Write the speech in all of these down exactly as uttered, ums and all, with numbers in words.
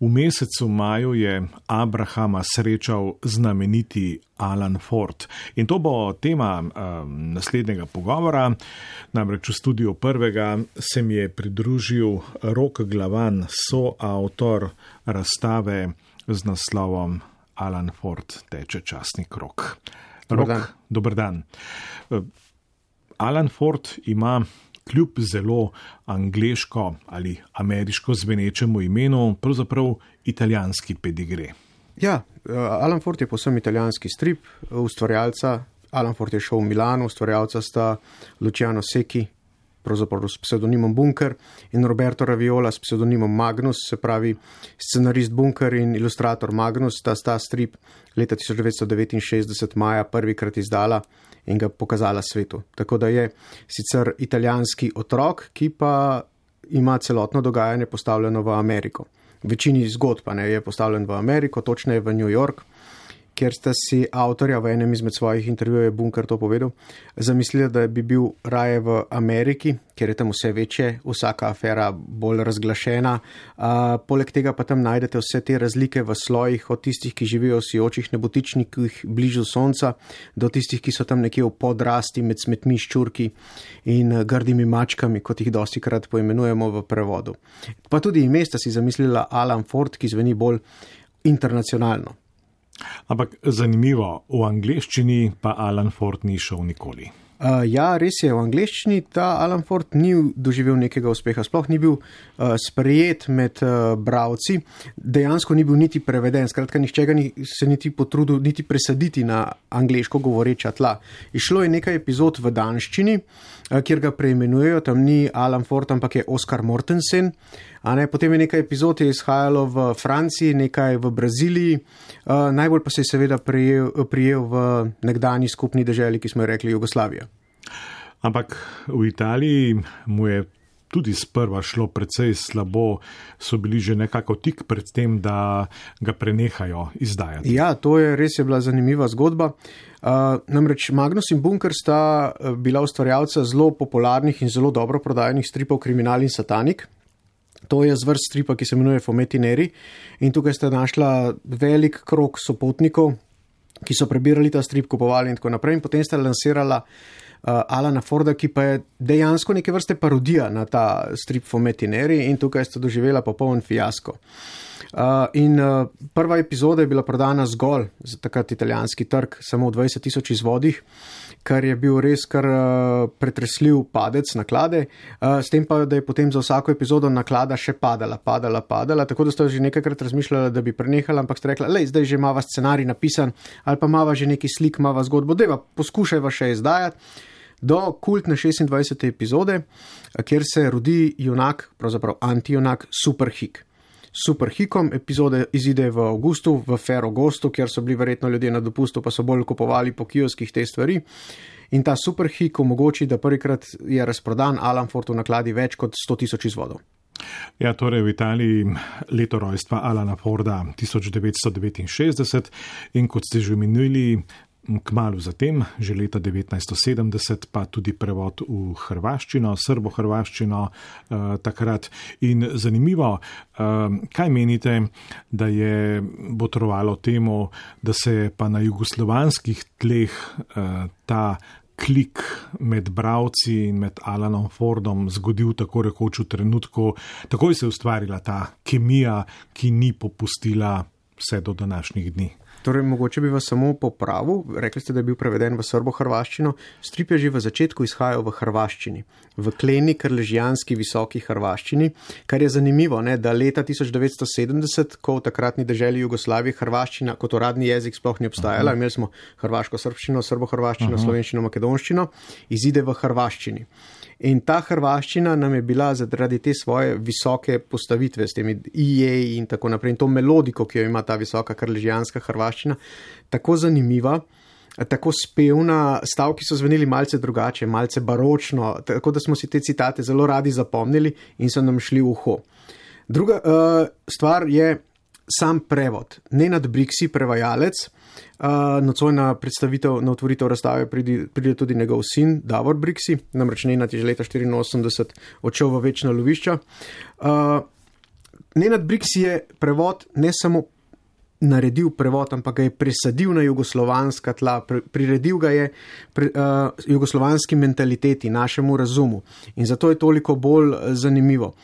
V mesecu maju je Abrahama srečal znameniti Alan Ford. In to bo tema uh, naslednjega pogovora. Namreč v studiu prvega se mi je pridružil Rok Glavan, soavtor razstave z naslovom Alan Ford teče časni krog. Dobar dan. Dobar dan. Alan Ford ima kljub zelo angleško ali ameriško zvenečemu imenu pravzaprav italijanski pedigre. Ja, Alan Ford je povsem italijanski strip, ustvarjalca. Alan Ford je šel v Milano, ustvarjalca sta Luciano Secchi, pravzaprav s psevdonimom Bunker, in Roberto Raviola s psevdonimom Magnus, se pravi scenarist Bunker in ilustrator Magnus, sta sta strip leta tisoč devetsto devetinšestdeset maja prvikrat izdala in ga pokazala svetu. Tako da je sicer italijanski otrok, ki pa ima celotno dogajanje postavljeno v Ameriko. Večini zgodb pa ne je postavljen v Ameriko, točneje v New York, kjer sta si avtorja v enem izmed svojih intervjujev Bunker to povedal, zamislila, da bi bil raje v Ameriki, ker je tam vse večje, vsaka afera bolj razglašena. Uh, poleg tega pa tam najdete vse te razlike v slojih, od tistih, ki živijo v sijočih nebotičnikih bližu sonca, do tistih, ki so tam nekje v podrasti med smetmi, ščurki in grdimi mačkami, kot jih dosti krat poimenujemo v prevodu. Pa tudi ime sta si zamislila Alan Ford, ki zveni bolj internacionalno. Ampak zanimivo, v angleščini pa Alan Ford ni šel nikoli. Uh, ja, res je, v angleščini ta Alan Ford ni doživel nekega uspeha, sploh ni bil uh, sprejet med uh, bralci, dejansko ni bil niti preveden, skratka nihče ga ni, se niti potrudil niti presaditi na angleško govoreča tla. Išlo je nekaj epizod v danščini, uh, kjer ga preimenujejo, tam ni Alan Ford, ampak je Oscar Mortensen. A ne, potem je nekaj epizod je izhajalo v Franciji, nekaj v Braziliji, uh, najbolj pa se je seveda prijel, prijel v nekdanji skupni deželi, ki smo jo rekli Jugoslavija. Ampak v Italiji mu je tudi sprva šlo precej slabo, so bili že nekako tik pred tem, da ga prenehajo izdajati. Ja, to je res je bila zanimiva zgodba. Uh, namreč Magnus in Bunker sta bila ustvarjalca zelo popularnih in zelo dobro prodajenih stripov Kriminal in Satanik. To je zvrst stripa, ki se imenuje Fumetti Neri, in tukaj ste našla velik krog sopotnikov, ki so prebirali ta strip, kupovali in tako naprej, in potem ste lansirala uh, Alana Forda, ki pa je dejansko neke vrste parodija na ta strip Fumetti Neri, in tukaj ste doživela popoln fiasko. Uh, in uh, prva epizoda je bila prodana zgolj za takrat italijanski trg, samo v dvajset tisoč izvodih, kar je bil res kar uh, pretresljiv padec naklade, uh, s tem pa, da je potem za vsako epizodo naklada še padala, padala, padala, tako da ste že nekajkrat razmišljala, da bi prenehala, ampak ste rekla, lej, zdaj že imava scenarij napisan, ali pa imava že neki slik, imava zgodbo, dejva, poskušajva še izdajati, do kultne šestindvajsete epizode, kjer se rodi junak, pravzaprav antijunak, Superhik. Superhikom, epizode izide v avgustu, v Ferragostu, kjer so bili verjetno ljudje na dopustu, pa so bolj kupovali po kioskih te stvari. In ta Superhik omogoči, da prvikrat je razprodan Alan Ford v nakladi več kot sto tisoč izvodov. Ja, torej v Italiji leto rojstva Alana Forda tisoč devetsto devetinšestdeset in kot ste že omenili, kmalu zatem, že leta devetnajststo sedemdeset, pa tudi prevod v hrvaščino, srbo-hrvaščino eh, takrat. In zanimivo, eh, kaj menite, da je botrovalo temu, da se pa na jugoslovanskih tleh eh, ta klik med bralci in med Alanom Fordom zgodil tako rekoč v trenutku, takoj se je ustvarila ta kemija, ki ni popustila vse do današnjih dni. Torej, mogoče bi vas samo popravil, rekli ste, da je bil preveden v srbo-hrvaščino, strip je že v začetku izhajal v hrvaščini, v kleni krležijanski visoki hrvaščini, kar je zanimivo, ne, da leta tisoč devetsto sedemdeset, ko v takratni deželi Jugoslavije hrvaščina kot uradni jezik sploh ni obstajala, imeli smo hrvaško-srbščino, srbo-hrvaščino, slovenščino, makedonščino, izide v hrvaščini. In ta hrvaščina nam je bila zaradi te svoje visoke postavitve s temi i-jeji in tako naprej, in to melodiko, ki jo ima ta visoka krležijanska hrvaščina, tako zanimiva, tako spevna, stavki so zveneli malce drugače, malce baročno, tako da smo si te citate zelo radi zapomnili in so nam šli v uho. Druga uh, stvar je sam prevod. Nenad Briksi, prevajalec, uh, nocoj na predstavitev, na otvoritev razstave pride, pride tudi njegov sin, Davor Briksi, namreč Nenad je že leta štiriinosemdeset odšel v večna lovišča. Uh, Nenad Briks je prevod ne samo naredil prevod, ampak ga je presadil na jugoslovanska tla, priredil ga je pre, uh, jugoslovanski mentaliteti, našemu razumu. In zato je toliko bolj zanimivo.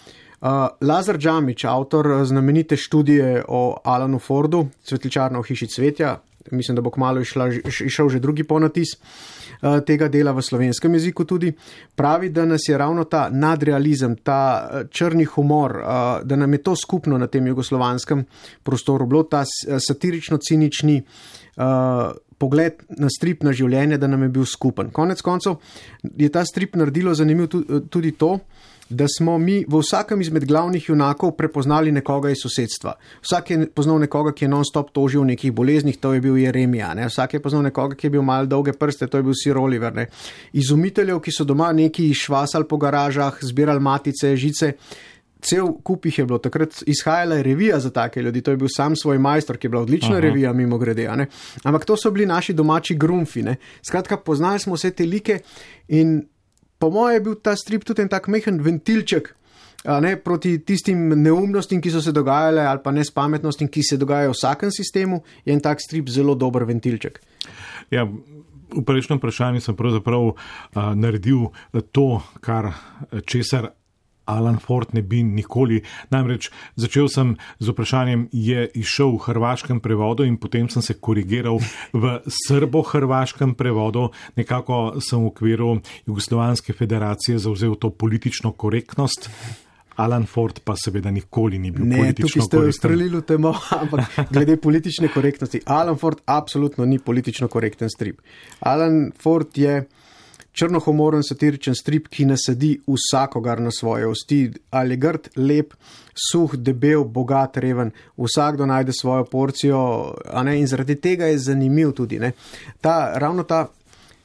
Uh, Lazar Džamić, avtor znamenite študije o Alanu Fordu, Cvetličarna v hiši cvetja, mislim, da bo kmalu išla, išel že drugi ponatis uh, tega dela v slovenskem jeziku tudi, pravi, da nas je ravno ta nadrealizem, ta črni humor, uh, da nam je to skupno na tem jugoslovanskem prostoru bilo, ta satirično-cinični uh, pogled na strip, na življenje, da nam je bil skupen. Konec koncev je ta strip naredilo zanimiv tudi to, da smo mi v vsakem izmed glavnih junakov prepoznali nekoga iz sosedstva. Vsak je poznal nekoga, ki je non-stop tožil v nekih boleznih, to je bil Jeremija. Ne? Vsak je poznal nekoga, ki je bil mal dolge prste, to je bil Sir Oliver. Ne? Izumiteljev, ki so doma neki švasali po garažah, zbirali matice, žice, cel kup jih je bilo. Takrat izhajala je revija za take ljudi, to je bil sam svoj majstor, ki je bila odlična Aha. revija mimo grede. Ne? Ampak to so bili naši domači grumfi. Ne? Skratka, poznali smo vse te like in po moje je bil ta strip tudi en tak mehen ventilček ne, proti tistim neumnostim, ki so se dogajale, ali pa nespametnostim, ki se dogajajo v vsakem sistemu, je en tak strip zelo dober ventilček. Ja, v prejšnjem vprašanju sem pravzaprav uh, naredil to, kar česar Alan Ford ne bi nikoli. Namreč začel sem z vprašanjem, je išel v hrvaškem prevodu in potem sem se korigiral v srbo-hrvaškem prevodu. Nekako sem v okviru Jugoslovanske federacije zavzel to politično korektnost. Alan Ford pa seveda nikoli ni bil ne, politično korekten. Ne, tukaj ste ustrelili v temo, ampak glede politične korektnosti. Alan Ford absolutno ni politično korekten strip. Alan Ford je črnohumoren satiričen strip, ki nasedi vsakogar na svoje osti, ali grd, lep, suh, debel, bogat, reven, vsakdo najde svojo porcijo, a ne, in zaradi tega je zanimiv tudi, ne. Ta, ravno ta,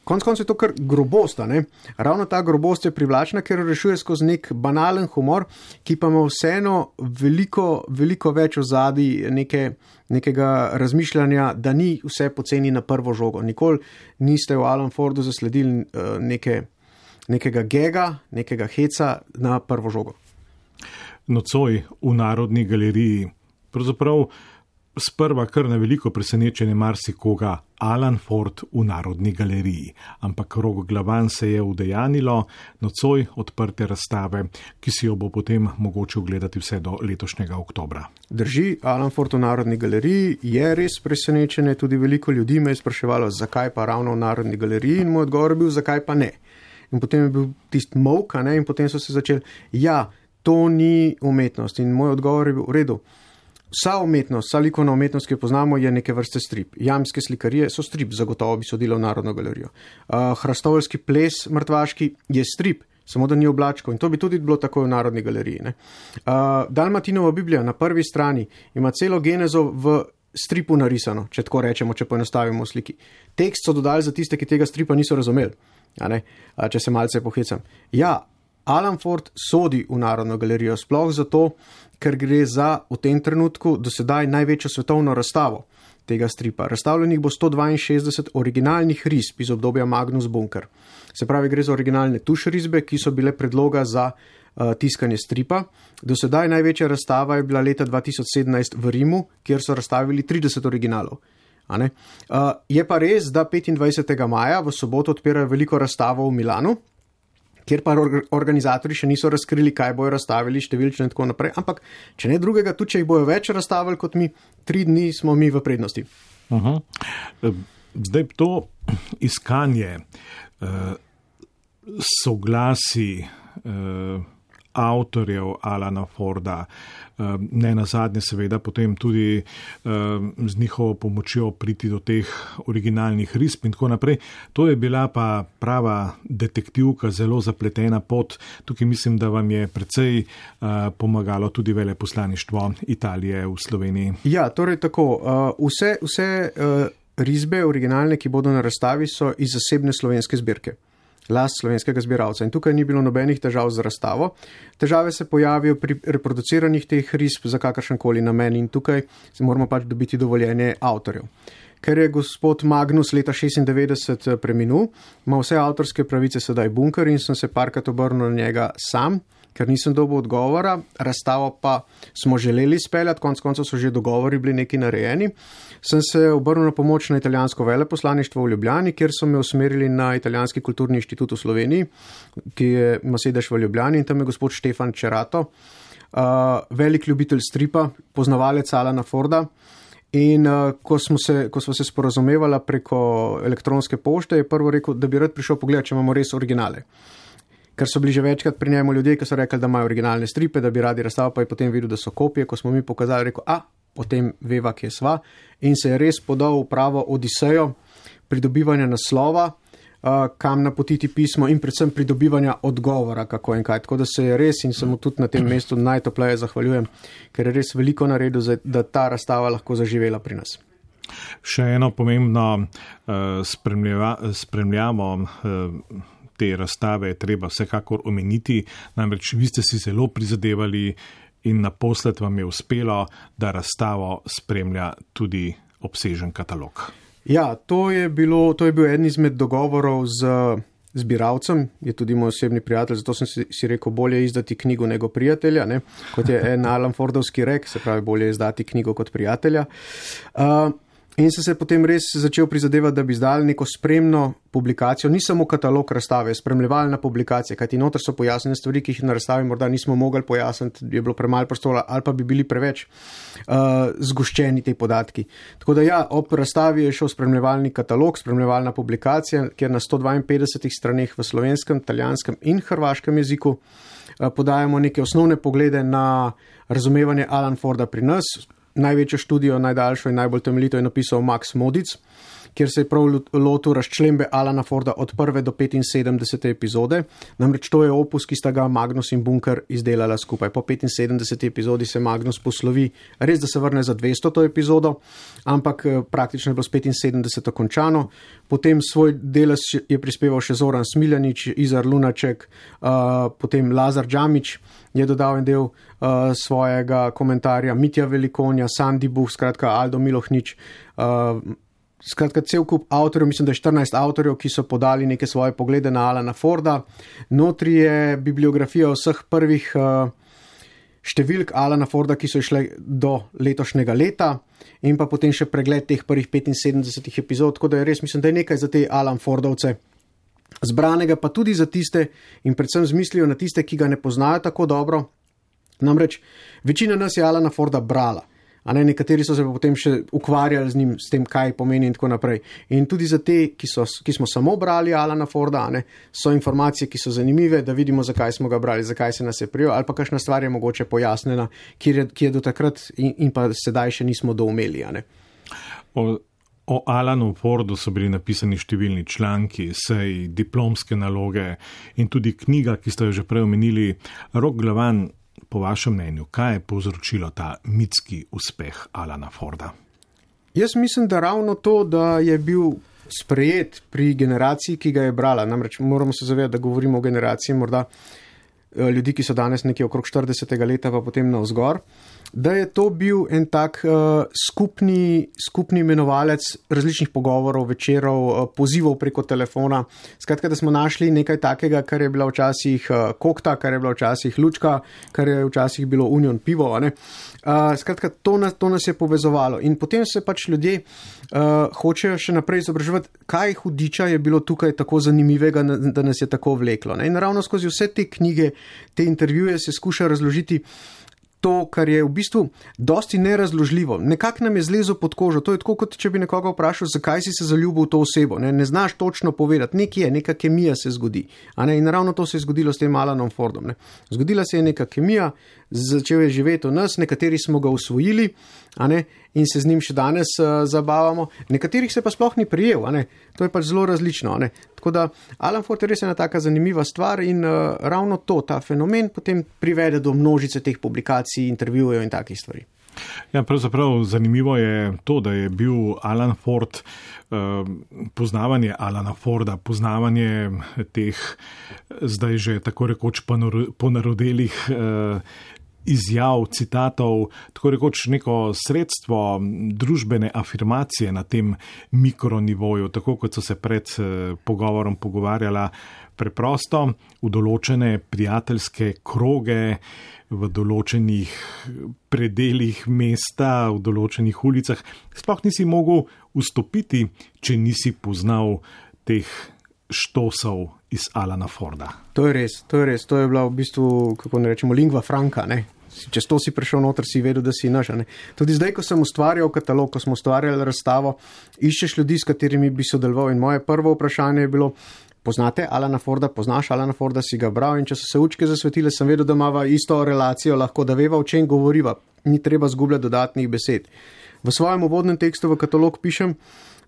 konc koncev je to kar grobost, ne, ravno ta grobost je privlačna, ker rešuje skozi nek banalen humor, ki pa ima vseeno veliko, veliko več ozadij neke nekega razmišljanja, da ni vse poceni na prvo žogo. Nikoli niste v Alan Fordu zasledili uh, neke, nekega gega, nekega heca na prvo žogo. Nocoj v Narodni galeriji, pravzaprav sprva kar na veliko presenečenje marsikoga, Alan Ford v Narodni galeriji. Ampak Rogoglavan se je udejanilo, nocoj odprte razstave, ki si jo bo potem mogoče ogledati vse do letošnjega oktobra. Drži, Alan Ford v Narodni galeriji je res presenečenje, tudi veliko ljudi me je spraševalo, zakaj pa ravno v Narodni galeriji, in moj odgovor je bil, zakaj pa ne. In potem je bil tist mok, ne, in potem so se začeli, ja, to ni umetnost, in moj odgovor je bil v redu. Vsa umetnost, vsa likovna umetnost, ki jo poznamo, je neke vrste strip. Jamske slikarije so strip, zagotovo bi sodila v Narodno galerijo. Uh, Hrastovoljski ples mrtvaški je strip, samo da ni oblačkov, in to bi tudi bilo tako v Narodni galeriji. Ne? Uh, Dalmatinova Biblija na prvi strani ima celo genezo v stripu narisano, če tako rečemo, če poenostavimo sliki. Tekst so dodali za tiste, ki tega stripa niso razumeli, a ne? Uh, če se malce pohecam. Ja, Alan Ford sodi v Narodno galerijo, sploh zato, ker gre za v tem trenutku do sedaj največjo svetovno razstavo tega stripa. Razstavljenih bo sto dvainšestdeset originalnih risb iz obdobja Magnus Bunker. Se pravi, gre za originalne tuš risbe, ki so bile predloga za uh, tiskanje stripa. Do sedaj največja razstava je bila leta dva tisoč sedemnajst v Rimu, kjer so razstavili trideset originalov. A ne? Uh, je pa res, da petindvajsetega maja v soboto odpirajo veliko razstavo v Milanu, kjer pa organizatorji še niso razkrili, kaj bojo razstavili, številčno in tako naprej. Ampak, če ne drugega, tudi če jih bojo več razstavili kot mi, tri dni smo mi v prednosti. Aha. Zdaj to iskanje uh, soglasi uh, avtorjev Alana Forda, ne nazadnje seveda potem tudi z njihovo pomočjo priti do teh originalnih risb in tako naprej. To je bila pa prava detektivka, zelo zapletena pot. Tukaj mislim, da vam je precej pomagalo tudi veleposlaništvo Italije v Sloveniji. Ja, torej tako. Vse, vse risbe originalne, ki bodo na razstavi, so iz zasebne slovenske zbirke. Last slovenskega zbiralca. In tukaj ni bilo nobenih težav z razstavo. Težave se pojavijo pri reproduciranjih teh risb za kakršenkoli namen in tukaj se moramo pač dobiti dovoljenje avtorjev. Ker je gospod Magnus leta šestindevetdeset preminul, ima vse avtorske pravice sedaj Bunker in sem se parkrat obrnil na njega sam, ker nisem dobil odgovora. Razstavo pa smo želeli speljati, konec koncev so že dogovori bili neki narejeni. Sem se obrnil na pomoč na italijansko veleposlaništvo v Ljubljani, kjer so me usmerili na Italijanski kulturni inštitut v Sloveniji, ki je, ima sedež v Ljubljani, in tam je gospod Štefan Čerato, uh, velik ljubitelj stripa, poznavalec Alana Forda. In uh, ko smo se, ko smo se sporazumevali preko elektronske pošte, je prvo rekel, da bi rad prišel pogledati, če imamo res originale. Ker so bili že večkrat pri njemu ljudje, ki so rekli, da imajo originalne stripe, da bi radi razstavo, pa je potem videl, da so kopije. Ko smo mi pokazali, rekel, a, potem veva, kje sva. In se je res podal v pravo odisejo pridobivanja naslova, uh, kam napotiti pismo in predvsem pridobivanja odgovora, kako in kaj. Tako da se je res, in se mu tudi na tem mestu najtopleje zahvaljujem, ker je res veliko naredil, da ta razstava lahko zaživela pri nas. Še eno pomembno uh, spremljava, spremljamo uh, te razstave je treba vsekakor omeniti, namreč vi ste si zelo prizadevali in naposled vam je uspelo, da razstavo spremlja tudi obsežen katalog. Ja, to je, bilo, to je bil eden izmed dogovorov z zbiralcem, je tudi moj osebni prijatelj, zato sem si, si rekel, bolje izdati knjigo nego prijatelja, ne? Kot je en Alan Fordovski rek, se pravi, bolje izdati knjigo kot prijatelja. Uh, In sem se potem res začel prizadevati, da bi izdali neko spremno publikacijo, ni samo katalog razstave, spremljevalna publikacija, kajti noter so pojasnjene stvari, ki jih na razstavi morda nismo mogli pojasniti, je bilo premalo prostora ali pa bi bili preveč uh, zgoščeni te podatki. Tako da ja, ob razstavi je šel spremljevalni katalog, spremljevalna publikacija, kjer na sto dvainpetdesetih straneh v slovenskem, italijanskem in hrvaškem jeziku uh, podajamo neke osnovne poglede na razumevanje Alan Forda pri nas. Največjo študijo, najdaljšo in najbolj temeljito je napisal Max Modic, kjer se je prav lotil razčlembe Alana Forda od prve do petinsedemdesete epizode. Namreč to je opus, ki sta ga Magnus in Bunker izdelala skupaj. Po petinsedemdeseti epizodi se Magnus poslovi, res da se vrne za dvestoto epizodo, ampak praktično je bilo s petinsedemdeseto končano. Potem svoj delež je prispeval še Zoran Smiljanić, Izar Lunaček, uh, potem Lazar Džamić je dodal en del uh, svojega komentarja, Mitja Velikonja, Sandi Buh, skratka Aldo Milohnič, uh, skratka cel kup avtorjev, mislim, da je štirinajst avtorjev, ki so podali neke svoje poglede na Alana Forda. Notri je bibliografija vseh prvih uh, številk Alana Forda, ki so išle do letošnjega leta, in pa potem še pregled teh prvih petinsedemdesetih epizod, tako da je res, mislim, da je nekaj za te Alan Fordovce zbranega, pa tudi za tiste in predvsem z mislijo na tiste, ki ga ne poznajo tako dobro. Namreč večina nas je Alana Forda brala, a ne, nekateri so se pa potem še ukvarjali z njim, s tem, kaj pomeni in tako naprej. In tudi za te, ki, so, ki smo samo brali Alana Forda, a ne, so informacije, ki so zanimive, da vidimo, zakaj smo ga brali, zakaj se nas je prijel, ali pa kakšna stvar je mogoče pojasnjena, ki je, ki je do takrat in, in pa sedaj še nismo doumeli, a ne. O, o Alanu Fordu so bili napisani številni članki, sej, diplomske naloge in tudi knjiga, ki ste jo že prej omenili. Rok Glavan, po vašem mnenju, kaj je povzročilo ta mitski uspeh Alana Forda? Jaz mislim, da ravno to, da je bil sprejet pri generaciji, ki ga je brala. Namreč moramo se zavedati, da govorimo o generaciji morda ljudi, ki so danes nekje okrog štiridesetega leta, pa potem navzgor, da je to bil en tak uh, skupni, skupni imenovalec različnih pogovorov, večerov, uh, pozivov preko telefona. Skratka, da smo našli nekaj takega, kar je bila včasih uh, kokta, kar je bila včasih lučka, kar je včasih bilo union pivo. Ne? Uh, skratka, to nas, to nas je povezovalo. In potem se pač ljudje uh, hočejo še naprej izobraževati, kaj hudiča je bilo tukaj tako zanimivega, da nas je tako vleklo. Ne? In ravno skozi vse te knjige, te intervjuje se skuša razložiti to, kar je v bistvu dosti nerazložljivo. Nekako nam je zlezo pod kožo. To je tako, kot če bi nekoga vprašal, zakaj si se zaljubil v to osebo. Ne, ne znaš točno povedati. Nekje je, neka kemija se zgodi. A ne? In ravno to se je zgodilo s tem Alanom Fordom. Ne? Zgodila se je neka kemija, začel je živeti v nas, nekateri smo ga usvojili, a ne? In se z njim še danes uh, zabavamo. Nekaterih se pa sploh ni prijel. A ne? To je pač zelo različno. A ne? Tako da Alan Ford je res ena taka zanimiva stvar in uh, ravno to, ta fenomen potem privede do množice teh publikacij, intervjujev in takih stvari. Ja, pravzaprav zanimivo je to, da je bil Alan Ford, uh, poznavanje Alana Forda, poznavanje teh zdaj že tako rekoč ponarodelih uh, izjav, citatov, tako rekoč neko sredstvo družbene afirmacije na tem mikronivoju, tako kot so se pred pogovorom pogovarjala preprosto v določene prijateljske kroge, v določenih predeljih mesta, v določenih ulicah. Sploh nisi mogel vstopiti, če nisi poznal teh štosov iz Alana Forda. To je res, to je res. To je bila v bistvu, kako ne rečemo, lingua franca, ne? Čez to si prišel noter, si vedel, da si naš, ne? Tudi zdaj, ko sem ustvarjal katalog, ko smo ustvarjali razstavo, iščeš ljudi, s katerimi bi sodeloval, in moje prvo vprašanje je bilo: poznate Alana Forda, poznaš Alana Forda, si ga bral, in če so se učke zasvetile, sem vedel, da imava isto relacijo, lahko da veva, o čem govoriva, ni treba zgubljati dodatnih besed. V svojem uvodnem tekstu v katalog pišem,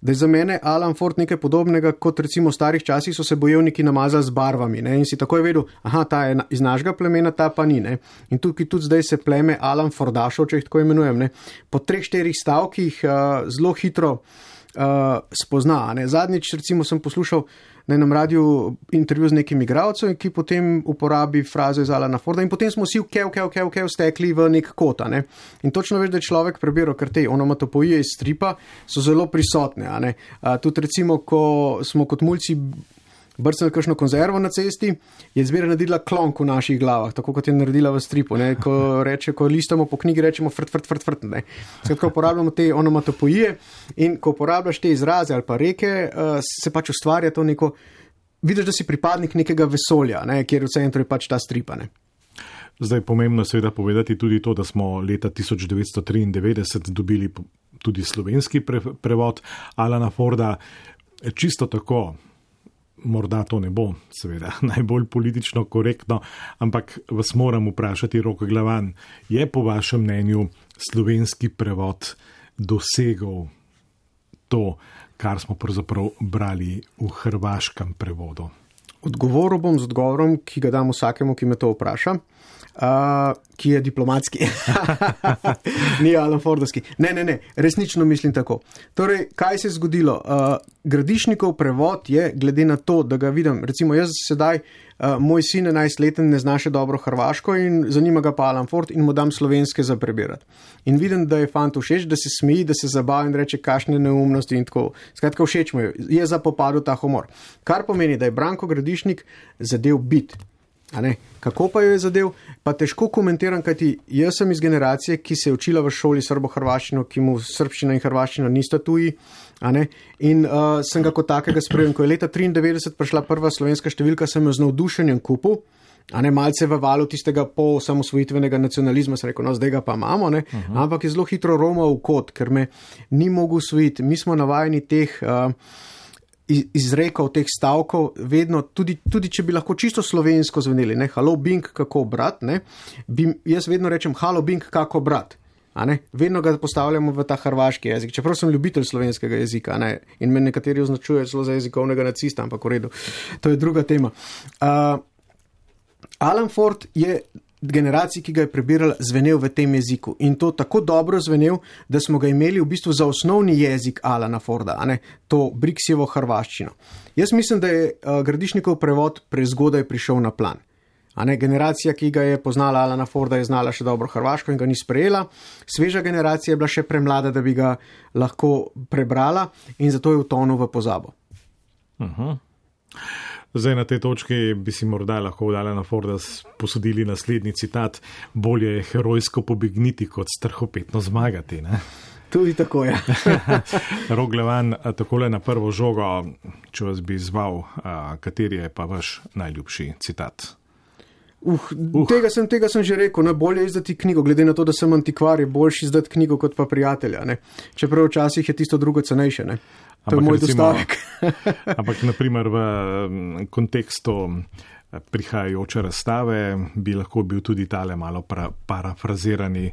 da je za mene Alan Ford nekaj podobnega, kot recimo v starih časih so se bojevniki namazali z barvami, ne? In si takoj vedel, aha, ta je iz našega plemena, ta pa ni, ne? In tukaj tudi zdaj se pleme Alan Fordašov, če jih tako imenujem, ne? Po treh, štirih stavkih uh, zelo hitro uh, spozna, ne? Zadnjič recimo sem poslušal na enem radiju intervju z nekim igralcem, ki potem uporabi frazo iz Alana Forda, in potem smo vsi v kev, kev, kev, kev stekli v nek kota, ne? In točno veš, da je človek prebiral, ker te onomatopoije iz stripa so zelo prisotne, a ne? A, tudi recimo, ko smo kot mulci brcnili kakšno konzervo na cesti, je zmeraj naredila klonk v naših glavah, tako kot je naredila v stripu, ne? Ko reče, ko listamo po knjigi, rečemo frt, frt, frt, frt, ne? Skratka, uporabljamo te onomatopoije, in ko uporabljaš te izraze ali pa reke, se pač ustvarja to neko, vidiš, da si pripadnik nekega vesolja, ne? Kjer v centru je pač ta stripa, ne? Zdaj pomembno seveda povedati tudi to, da smo leta tisoč devetsto triindevetdeset dobili tudi slovenski pre, prevod Alana Forda. Čisto tako, morda to ne bo seveda najbolj politično korektno, ampak vas moram vprašati, Rok Glavan, je po vašem mnenju slovenski prevod dosegel to, kar smo pravzaprav brali v hrvaškem prevodu? Odgovoril bom z odgovorom, ki ga dam vsakemu, ki me to vpraša, uh, ki je diplomatski. Ni Alan Fordovski. Ne, ne, ne, resnično mislim tako. Torej, kaj se je zgodilo? Uh, Gradišnikov prevod je, glede na to, da ga vidim, recimo jaz sedaj, uh, moj sin enajstleten ne zna še dobro hrvaško in zanima ga pa Alan Ford in mu dam slovenske za prebirati. In vidim, da je fant všeč, da se smeji, da se zabava in reče kakšne neumnosti in tako. Skratka, všeč mu je, je zapopadel ta humor. Kar pomeni, da je Branko Gradišnik zadev bit. A ne? Kako pa jo je zadev? Pa težko komentiram, kajti jaz sem iz generacije, ki se je učila v šoli srbo-hrvaščino, ki mu srbščina in hrvaščina nista tuji, a ne? In uh, sem ga kot takega sprejel. Ko je leta triindevetdeset prišla prva slovenska številka, sem jo z navdušenjem kupil, a ne, malce v valu tistega po samosvojitvenega nacionalizma, sem rekel, no, zdaj ga pa imamo, ne? Uh-huh. Ampak je zelo hitro romal v kot, ker me ni mogel usvojiti. Mi smo navajeni teh uh, izrekov, teh stavkov, vedno, tudi, tudi če bi lahko čisto slovensko zveneli, ne, halo Bing, kako brat, ne, bi, jaz vedno rečem, halo Bing, kako brat, a ne, vedno ga postavljamo v ta hrvaški jezik, čeprav sem ljubitelj slovenskega jezika, ne, in me nekateri označujejo celo za jezikovnega nacista, ampak v redu, to je druga tema. Uh, Alan Ford je generaciji, ki ga je prebirala, zvenel v tem jeziku. In to tako dobro zvenel, da smo ga imeli v bistvu za osnovni jezik Alana Forda, a ne, to Briksjevo hrvaščino. Jaz mislim, da je uh, Gradišnikov prevod prezgodaj prišel na plan. A ne, generacija, ki ga je poznala Alana Forda, je znala še dobro hrvaško in ga ni sprejela. Sveža generacija je bila še premlada, da bi ga lahko prebrala, in zato je utonil v pozabo. Uh-huh. Zdaj na tej točki bi si morda lahko od Alana Forda posodili naslednji citat: bolje je herojsko pobegniti, kot strahopetno zmagati, ne? Tudi tako je. Rok Glavan, takole na prvo žogo, če vas bi izval, kateri je pa vaš najljubši citat? Uh, uh. Tega, sem, tega sem že rekel, ne, bolje je izdati knjigo, glede na to, da sem antikvar, je boljši izdati knjigo kot pa prijatelja, ne? Čeprav včasih je tisto drugo cenejše, ne? To ampak je moj recimo, dostavek. Ampak naprimer v kontekstu prihajajoče razstave bi lahko bil tudi tale malo pra, parafrazirani: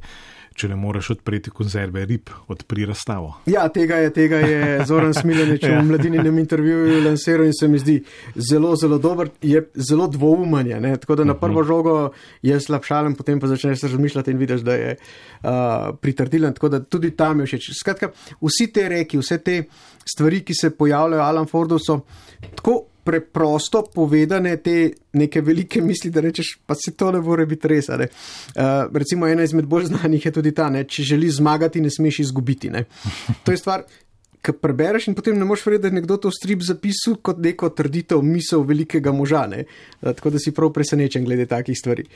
če ne moreš odpreti konzerve rib, odpri razstavo. Ja, tega je, tega je Zoran Smiljanić v Mladininem intervjuju lansiral in se mi zdi zelo, zelo dober, je zelo dvoumen, ne? Tako da na prvo žogo je slabšalen, potem pa začneš se razmišljati in vidiš, da je uh, pritrdilen, tako da tudi tam je všeč. Skratka, vsi te reki, vse te stvari, ki se pojavljajo Alan Fordu, so tako preprosto povedane te neke velike misli, da rečeš, pa se to ne more biti res. Ne? Uh, recimo ena izmed bolj znanih je tudi ta, ne? Če želiš zmagati, ne smeš izgubiti. Ne? To je stvar, ki prebereš in potem ne moreš verjeti, da je nekdo to strip zapisal kot neko trditev, misel velikega moža. Ne? Tako da si prav presenečen glede takih stvari.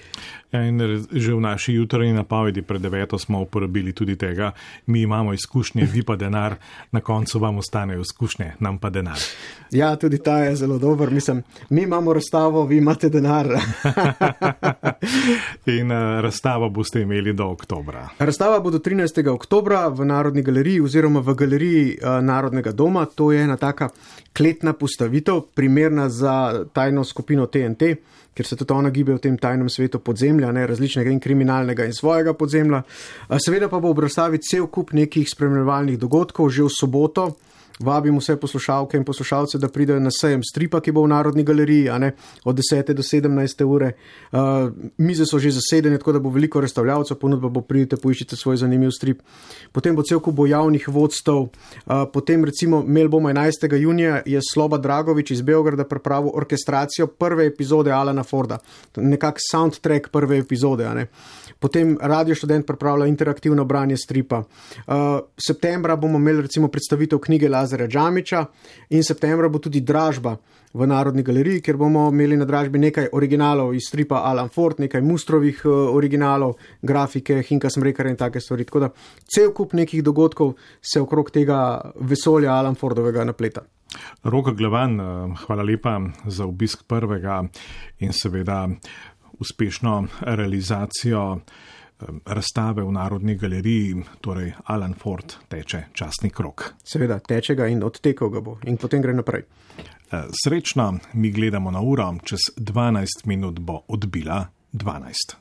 Ja, in že v naši jutranji napovedi pred deveto smo uporabili tudi tega, mi imamo izkušnje, vi pa denar, na koncu vam ostanejo izkušnje, nam pa denar. Ja, tudi ta je zelo dober. Mislim, mi imamo razstavo, vi imate denar. In uh, razstavo boste imeli do oktobra. Razstava bo do trinajstega oktobra v Narodni galeriji oziroma v galeriji uh, Narodnega doma. To je ena taka kletna postavitev, primerna za tajno skupino T N T, ker se tudi ona gibe v tem tajnem svetu podzemlja, ne, različnega in kriminalnega in svojega podzemlja. Seveda pa bo ob razstavi cel kup nekih spremljevalnih dogodkov že v soboto. Vabim vse poslušalke in poslušalce, da pridejo na sejem stripa, ki bo v Narodni galeriji, a ne, od desete do sedemnajste ure. Uh, mize so že zasedene, tako da bo veliko razstavljavcev, ponudba bo, pridite, poiščite svoj zanimiv strip. Potem bo cel kup bo javnih vodstev. Uh, potem recimo imeli bomo enajstega junija je Sloba Dragovič iz Beograda pripravil orkestracijo prve epizode Alana Forda. Nekak soundtrack prve epizode, a ne. Potem Radio Študent pripravlja interaktivno branje stripa. Uh, septembra bomo imeli recimo predstavitev knjige Lazarja Džamiča in septembra bo tudi dražba v Narodni galeriji, kjer bomo imeli na dražbi nekaj originalov iz stripa Alan Ford, nekaj Mustrovih uh, originalov, grafike, Hinka Smrekara in take stvari. Tako da cel kup nekih dogodkov se okrog tega vesolja Alan Fordovega napleta. Rok Glavan, hvala lepa za obisk prvega in seveda uspešno realizacijo razstave v Narodni galeriji, torej Alan Ford teče častni krog. Seveda, teče ga in odtekal ga bo in potem gre naprej. Srečno, mi gledamo na uro, čez dvanajst minut bo odbila dvanajst.